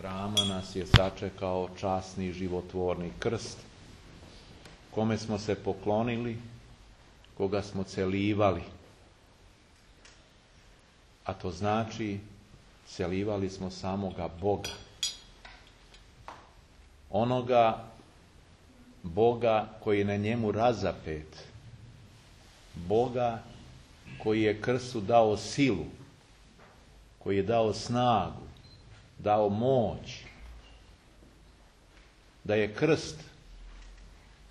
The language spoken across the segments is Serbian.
hrama nas je sačekao časni životvorni krst, kome smo se poklonili, koga smo celivali. A to znači, celivali smo samoga Boga. Onoga Boga koji je na njemu razapet. Boga koji je krstu dao silu, koji je dao snagu, dao moć. Da je krst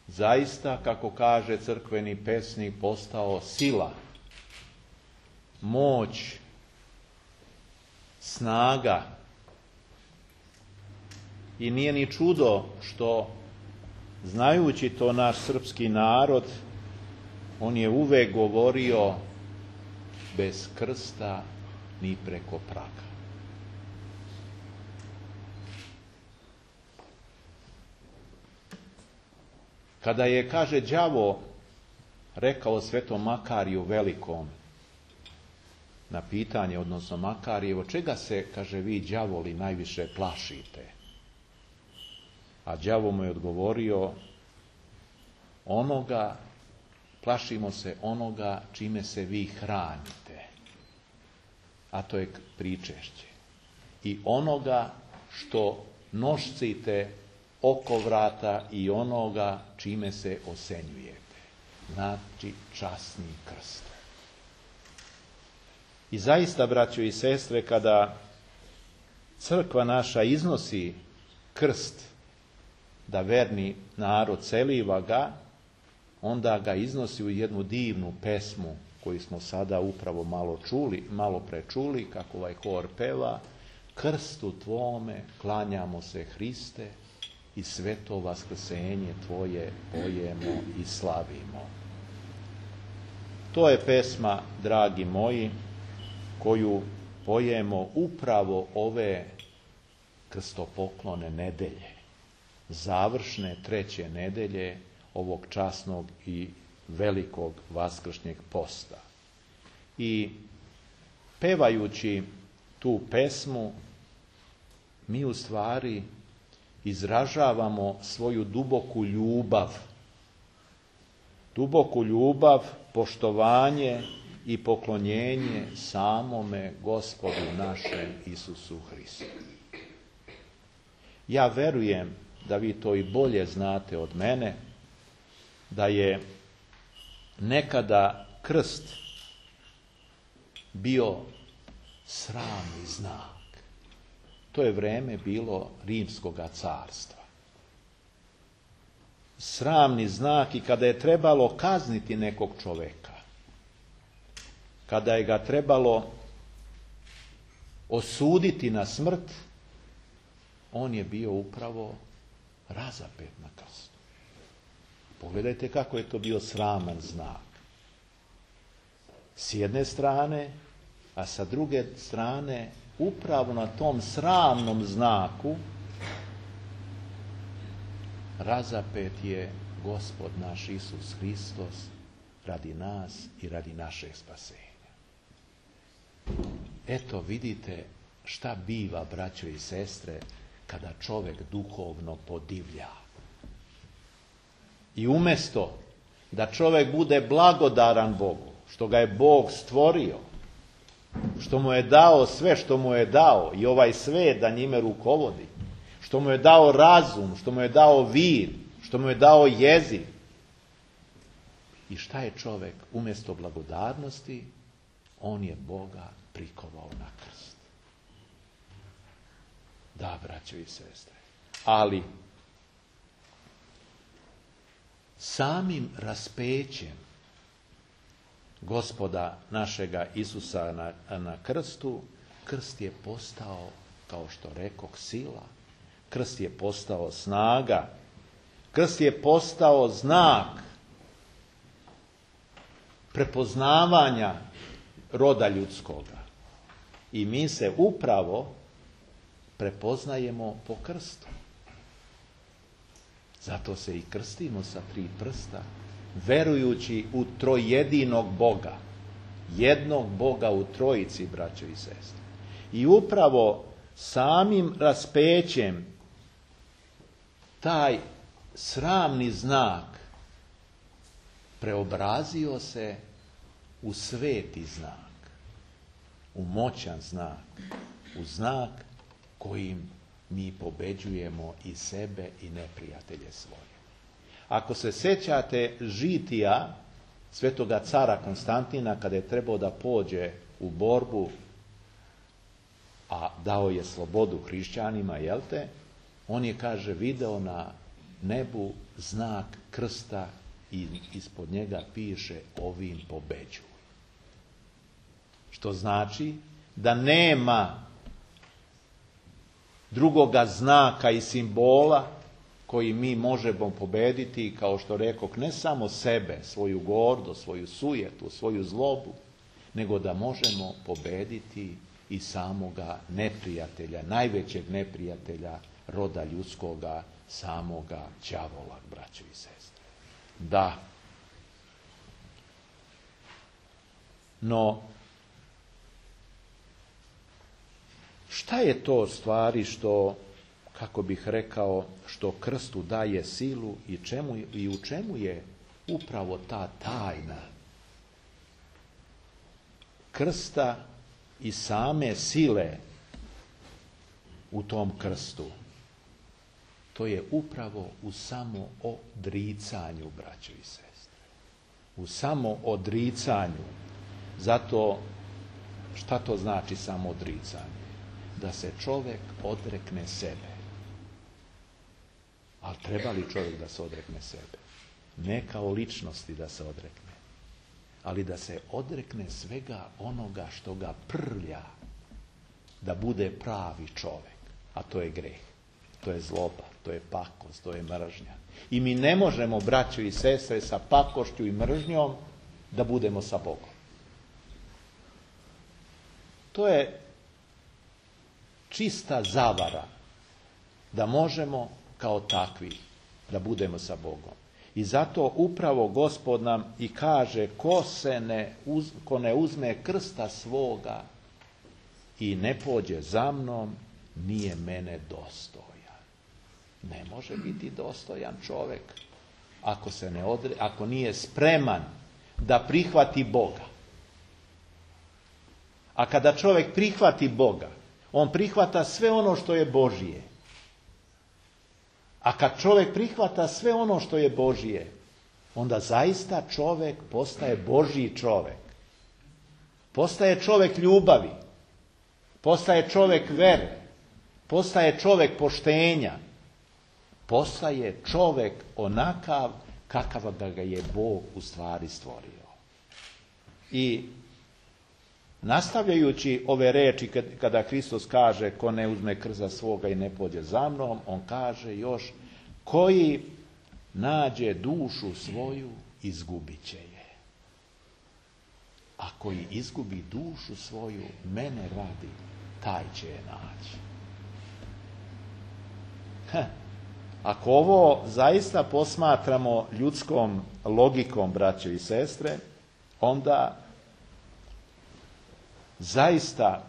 zaista, kako kaže crkveni pesnik, postao sila, moć, snaga. I nije ni čudo što, znajući to naš srpski narod, on je uvek govorio bez krsta ni preko praga. Kada je, kaže, đavo rekao svetom Makariju Velikom na pitanje, odnosno Makarijevo, čega se, kaže, vi đavoli najviše plašite? A đavo mu je odgovorio, plašimo se onoga čime se vi hranite, a to je pričešće. I onoga što nošcite oko vrata i onoga čime se osenjujete. Znači časni krst. I zaista, braćo i sestre, kada crkva naša iznosi krst da verni narod celiva ga, onda ga iznosi u jednu divnu pesmu koju smo sada upravo malo prečuli, kako ovaj hor peva: krstu tvome klanjamo se, Hriste, i sveto vaskrsenje tvoje pojemo i slavimo. To je pesma, dragi moji, koju pojemo upravo ove krstopoklone nedelje, završne 3. nedelje ovog časnog i velikog vaskršnjeg posta. I pevajući tu pesmu, mi u stvari izražavamo svoju duboku ljubav, poštovanje i poklonjenje samome Gospodu našem Isusu Hristu. Ja verujem da vi to i bolje znate od mene, da je nekada krst bio sramni znak. To je vreme bilo Rimskoga carstva. Sramni znak, i kada je trebalo kazniti nekog čoveka, kada je ga trebalo osuditi na smrt, on je bio upravo razapet na krstu. Pogledajte kako je to bio sraman znak. S jedne strane, a sa druge strane, upravo na tom sramnom znaku razapet je Gospod naš Isus Hristos radi nas i radi našeg spasenja. Eto, vidite šta biva, braćo i sestre, kada čovjek duhovno podivlja. I umjesto da čovjek bude blagodaran Bogu, što ga je Bog stvorio, što mu je dao sve što mu je dao i ovaj svet da njime rukovodi, što mu je dao razum, što mu je dao vir, što mu je dao jezik. I šta je čovjek? Umjesto blagodarnosti, on je Boga prikovao na krst. Da, braćo i sestre, ali samim raspećem Gospoda našega Isusa na krstu, krst je postao, kao što rekoh, sila. Krst je postao snaga. Krst je postao znak prepoznavanja roda ljudskoga. I mi se upravo prepoznajemo po krstu. Zato se i krstimo sa 3 prsta, verujući u trojedinog Boga, jednog Boga u trojici, braćo i sestre. I upravo samim raspećem taj sramni znak preobrazio se u sveti znak, u moćan znak, u znak kojim mi pobeđujemo i sebe i neprijatelje svoje. Ako se sjećate žitija svetoga cara Konstantina kada je trebao da pođe u borbu, a dao je slobodu hrišćanima, jel te? On je, kaže, video na nebu znak krsta i ispod njega piše ovim pobeđuj. Što znači da nema drugoga znaka i simbola koji mi možemo pobediti, kao što rekoh, ne samo sebe, svoju gordost, svoju sujetu, svoju zlobu, nego da možemo pobediti i samoga neprijatelja, najvećeg neprijatelja roda ljudskoga, samoga đavola, braćo i sestre. Da. No, šta je to stvari što, kako bih rekao, što krstu daje silu i u čemu je upravo ta tajna krsta i same sile u tom krstu? To je upravo u samoodricanju, braćo i sestre. U samoodricanju. Zato, šta to znači samoodricanje? Da se čovjek odrekne sebe. Ali treba li čovjek da se odrekne sebe? Ne kao ličnosti da se odrekne, ali da se odrekne svega onoga što ga prlja da bude pravi čovjek. A to je greh, to je zloba, to je pakost, to je mržnja. I mi ne možemo, braćo i sestre, sa pakošću i mržnjom da budemo sa Bogom. To je čista zavara da možemo kao takvi da budemo sa Bogom. I zato upravo Gospod nam i kaže, ko ne uzme krsta svoga i ne pođe za mnom, nije mene dostojan. Ne može biti dostojan čovjek ako nije spreman da prihvati Boga. A kada čovjek prihvati Boga, on prihvata sve ono što je Božije. A kad čovjek prihvata sve ono što je Božije, onda zaista čovjek postaje Božji čovjek. Postaje čovjek ljubavi. Postaje čovjek vere. Postaje čovjek poštenja. Postaje čovjek onakav kakav da ga je Bog u stvari stvorio. I nastavljajući ove reči, kada Hristos kaže ko ne uzme krsta svoga i ne pođe za mnom, on kaže još, koji nađe dušu svoju, izgubit će je. A koji izgubi dušu svoju, mene radi, taj će je naći. Ako ovo zaista posmatramo ljudskom logikom, braćo i sestre, onda zaista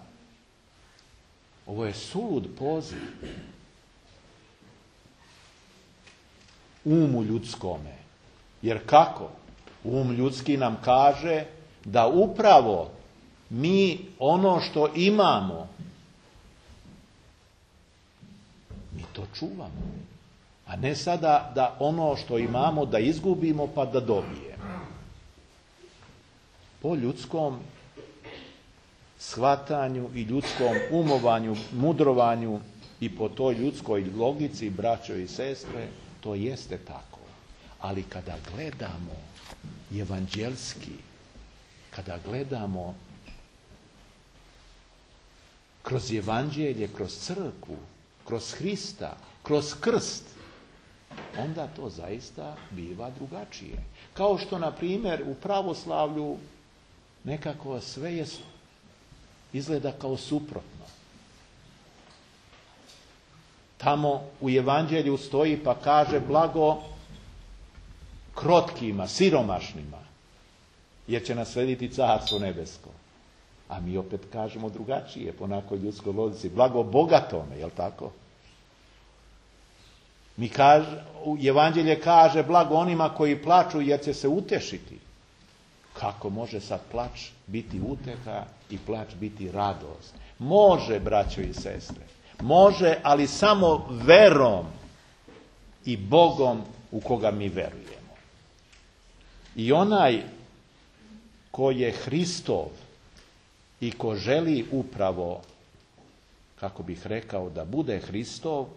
ovo je sulud poziv umu ljudskome. Jer kako? Um ljudski nam kaže da upravo mi ono što imamo, mi to čuvamo. A ne sada da ono što imamo da izgubimo pa da dobijemo. Po ljudskom shvatanju i ljudskom umovanju, mudrovanju i po toj ljudskoj logici, braćo i sestre, to jeste tako. Ali kada gledamo evanđelski, kada gledamo kroz evanđelje, kroz crkvu, kroz Hrista, kroz krst, onda to zaista biva drugačije. Kao što, na primjer, u pravoslavlju nekako sve je izgleda kao suprotno. Tamo u evanđelju stoji pa kaže blago krotkima, siromašnima, jer će naslediti carstvo nebesko. A mi opet kažemo drugačije, po onakoj ljudskoj logici. Blago bogatome, jel tako? Evanđelje kaže blago onima koji plaču jer će se utešiti. Kako može sad plač biti uteka i plač biti radost? Može, braćo i sestre. Može, ali samo verom i Bogom u koga mi verujemo. I onaj ko je Hristov i ko želi upravo, kako bih rekao, da bude Hristov,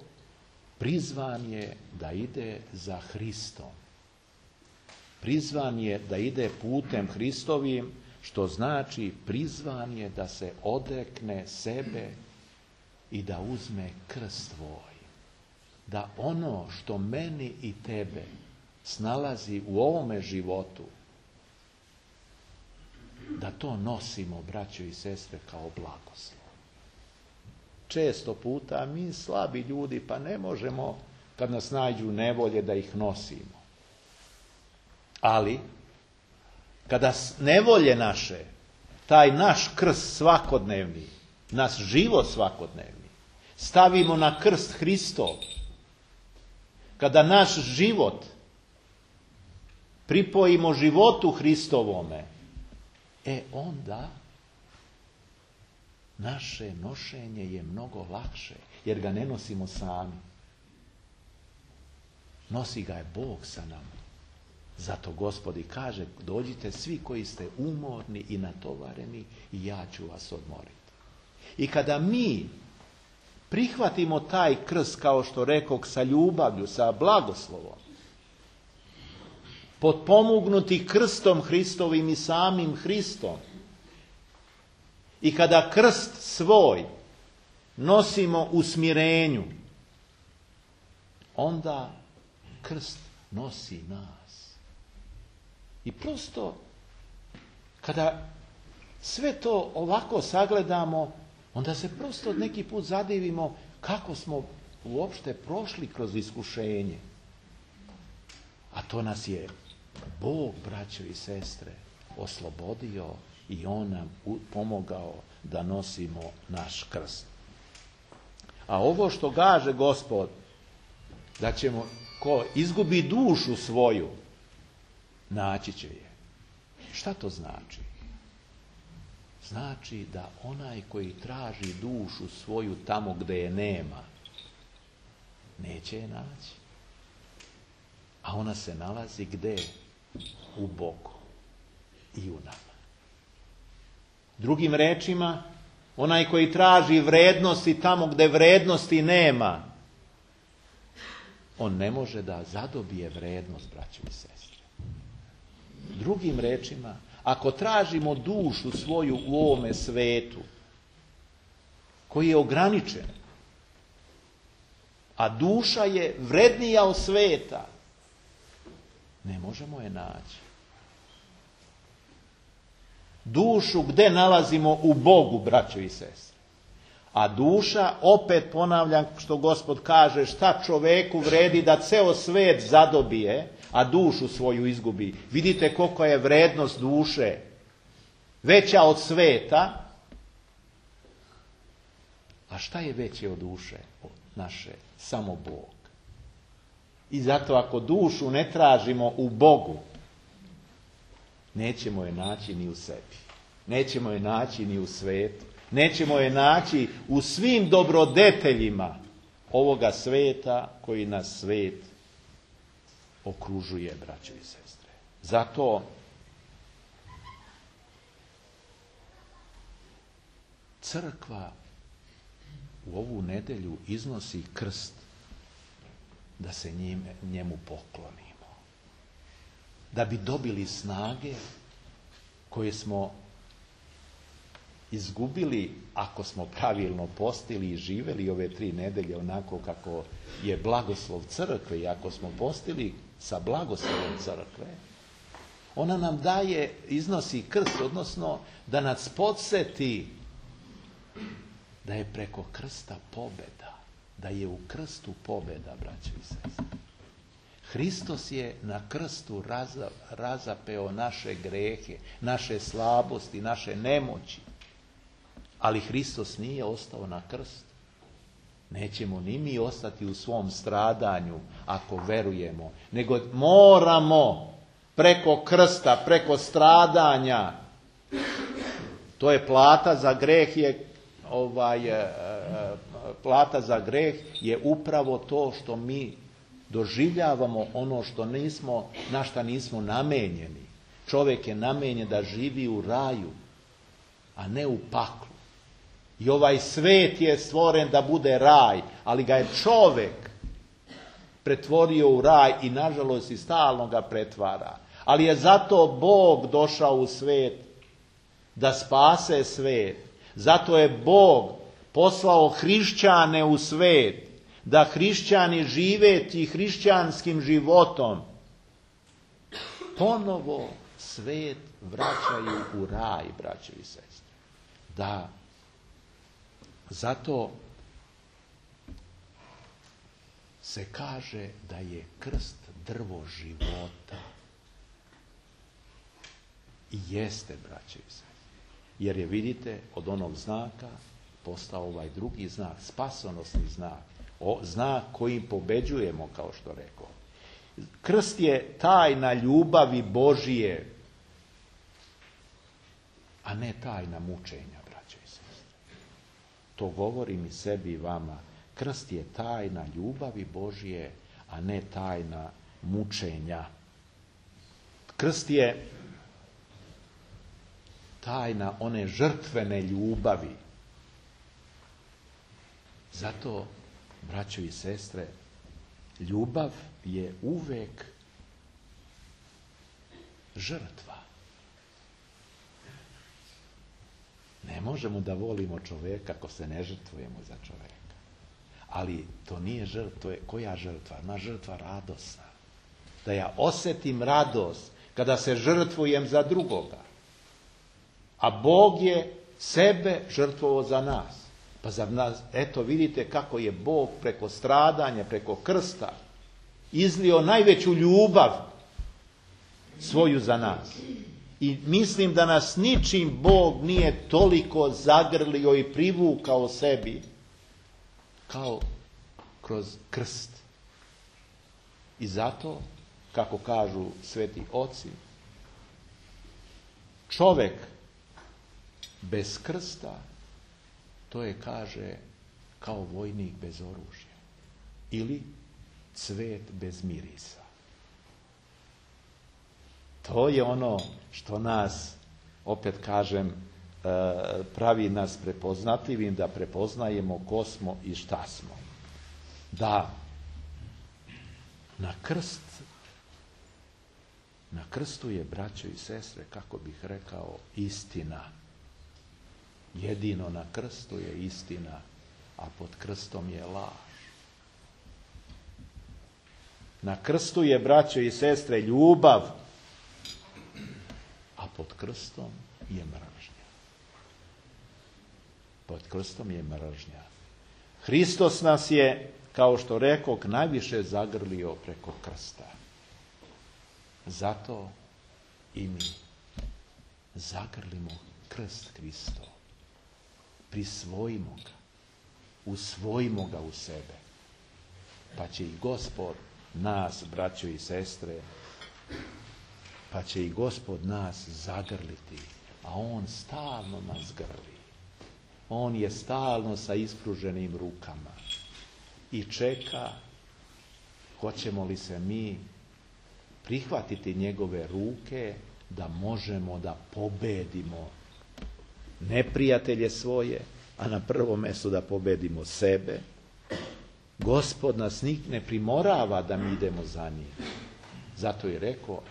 prizvan je da ide za Hristom. Prizvan je da ide putem Hristovim, što znači prizvan je da se odrekne sebe i da uzme krst svoj. Da ono što meni i tebe snalazi u ovome životu, da to nosimo, braćo i sestre, kao blagoslov. Često puta mi slabi ljudi pa ne možemo, kad nas nađu nevolje, da ih nosimo. Ali, kada nevolje naše, taj naš krst svakodnevni, naš život svakodnevni, stavimo na krst Hristov, kada naš život pripojimo životu Hristovome, onda naše nošenje je mnogo lakše, jer ga ne nosimo sami. Nosi ga je Bog sa nama. Zato Gospod i kaže, dođite svi koji ste umorni i natovareni i ja ću vas odmoriti. I kada mi prihvatimo taj krst, kao što rekog, sa ljubavlju, sa blagoslovom, potpomognuti krstom Hristovim i samim Hristom, i kada krst svoj nosimo u smirenju, onda krst nosi nas. I prosto, kada sve to ovako sagledamo, onda se prosto neki put zadivimo kako smo uopšte prošli kroz iskušenje. A to nas je Bog, braćo i sestre, oslobodio i On nam pomogao da nosimo naš krst. A ovo što kaže Gospod, da ćemo, ko izgubi dušu svoju, naći će je. Šta to znači? Znači da onaj koji traži dušu svoju tamo gdje je nema, neće je naći. A ona se nalazi gdje? U Bogu i u nama. Drugim rečima, onaj koji traži vrednosti tamo gdje vrednosti nema, on ne može da zadobije vrednost, braćo i sestre. Drugim rečima, ako tražimo dušu svoju u ovome svetu, koji je ograničen, a duša je vrednija od sveta, ne možemo je naći. Dušu gdje nalazimo? U Bogu, braćo i sestre. A duša, opet ponavljam što Gospod kaže, šta čoveku vredi da ceo svet zadobije, a dušu svoju izgubi. Vidite koliko je vrednost duše veća od sveta. A šta je veće od duše naše? Samo Bog. I zato ako dušu ne tražimo u Bogu, nećemo je naći ni u sebi. Nećemo je naći ni u svetu. Nećemo je naći u svim dobrodeteljima ovoga sveta koji nas svet okružuje, braćo i sestre. Zato crkva u ovu nedelju iznosi krst da se njemu poklonimo. Da bi dobili snage koje smo izgubili ako smo pravilno postili i živjeli ove 3 nedelje onako kako je blagoslov crkve, i ako smo postili sa blagoslovom crkve, ona nam daje, iznosi krst, odnosno da nas podsjeti da je preko krsta pobjeda, da je u krstu pobjeda, braćo i sestre. Hristos je na krstu razapeo naše grehe, naše slabosti, naše nemoći. Ali Hristos nije ostao na krstu. Nećemo ni mi ostati u svom stradanju ako verujemo, nego moramo preko krsta, preko stradanja. To je plata za greh plata za greh je upravo to što mi doživljavamo ono što nismo, na šta nismo namenjeni. Čovjek je namenjen da živi u raju, a ne u paklu. I ovaj svet je stvoren da bude raj, ali ga je čovjek pretvorio u raj i nažalost i stalno ga pretvara. Ali je zato Bog došao u svet da spase svet. Zato je Bog poslao hrišćane u svet, da hrišćani živeći hrišćanskim životom ponovo svet vraćaju u raj, braćo i sestre. Da, zato se kaže da je krst drvo života. I jeste, braćo i sestre. Jer je, vidite, od onog znaka postao ovaj drugi znak, spasonosni znak. Znak kojim pobeđujemo, kao što rekao. Krst je tajna ljubavi Božije, a ne tajna mučenja, braćo i sestre. To govorim i sebi i vama. Krst je tajna ljubavi Božije, a ne tajna mučenja. Krst je tajna one žrtvene ljubavi. Zato, braćo i sestre, ljubav je uvek žrtva. Ne možemo da volimo čoveka ako se ne žrtvujemo za čoveka. Ali to nije žrtva. Koja žrtva? Ona žrtva radosna. Da ja osjetim radost kada se žrtvujem za drugoga. A Bog je sebe žrtvovao za nas. Pa za nas, eto vidite kako je Bog preko stradanja, preko krsta izlio najveću ljubav svoju za nas. I mislim da nas ničim Bog nije toliko zagrlio i privukao sebi kao kroz krst. I zato, kako kažu sveti oci, čovek bez krsta, to je, kaže, kao vojnik bez oružja. Ili cvet bez mirisa. To je ono što nas, opet kažem, pravi nas prepoznatljivim, da prepoznajemo ko smo i šta smo. Da na krstu je, braćo i sestre, kako bih rekao, istina. Jedino na krstu je istina, a pod krstom je laž. Na krstu je, braćo i sestre, ljubav, a pod krstom je mržnja. Pod krstom je mržnja. Hristos nas je, kao što rekoh, najviše zagrlio preko krsta. Zato i mi zagrlimo krst Hristov. Prisvojimo ga. Usvojimo ga u sebe. Pa će i Gospod nas, braćo i sestre, pa će i Gospod nas zagrliti, a On stalno nas grli. On je stalno sa ispruženim rukama i čeka hoćemo li se mi prihvatiti njegove ruke da možemo da pobedimo neprijatelje svoje, a na prvom mjestu da pobedimo sebe. Gospod nas ne primorava da mi idemo za njim. Zato je rekao,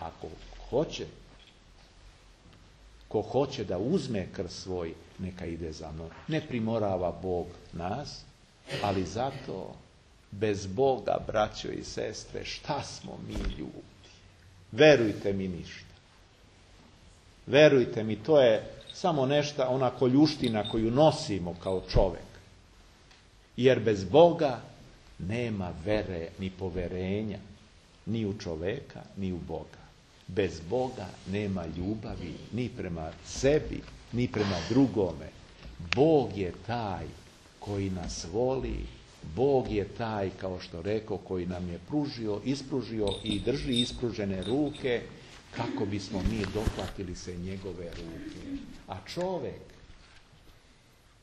ko hoće da uzme krst svoj, neka ide za mnom. Ne primorava Bog nas, ali zato bez Boga, braćo i sestre, šta smo mi ljudi? Verujte mi, ništa. Verujte mi, to je samo nešto, ona koljuština koju nosimo kao čovjek. Jer bez Boga nema vere ni poverenja, ni u čovjeka, ni u Boga. Bez Boga nema ljubavi ni prema sebi, ni prema drugome. Bog je taj koji nas voli, Bog je taj, kao što rekao, koji nam je ispružio i drži ispružene ruke, kako bismo mi dohvatili se njegove ruke. A čovjek,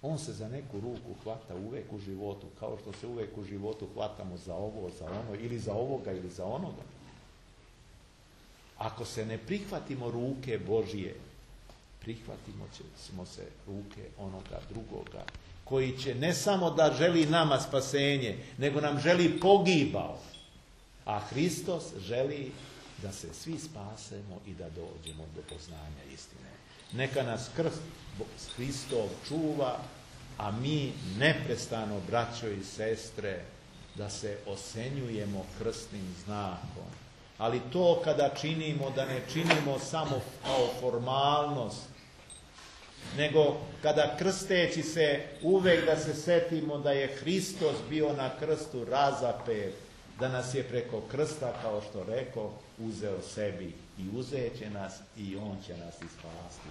on se za neku ruku hvata uvijek u životu, kao što se uvijek u životu hvatamo za ovo, za ono, ili za ovoga, ili za onoga. Ako se ne prihvatimo ruke Božije, prihvatimo ćemo se ruke onoga drugoga, koji će ne samo da želi nama spasenje, nego nam želi pogibao. A Hristos želi da se svi spasemo i da dođemo do poznanja istine. Neka nas krst Hristov čuva, a mi neprestano, braćo i sestre, da se osenjujemo krstnim znakom. Ali to kada činimo, da ne činimo samo kao formalnost, nego kada krsteći se uvek da se setimo da je Hristos bio na krstu razapet, da nas je preko krsta, kao što rekao, uzeo sebi i uzet će nas i on će nas ispasti.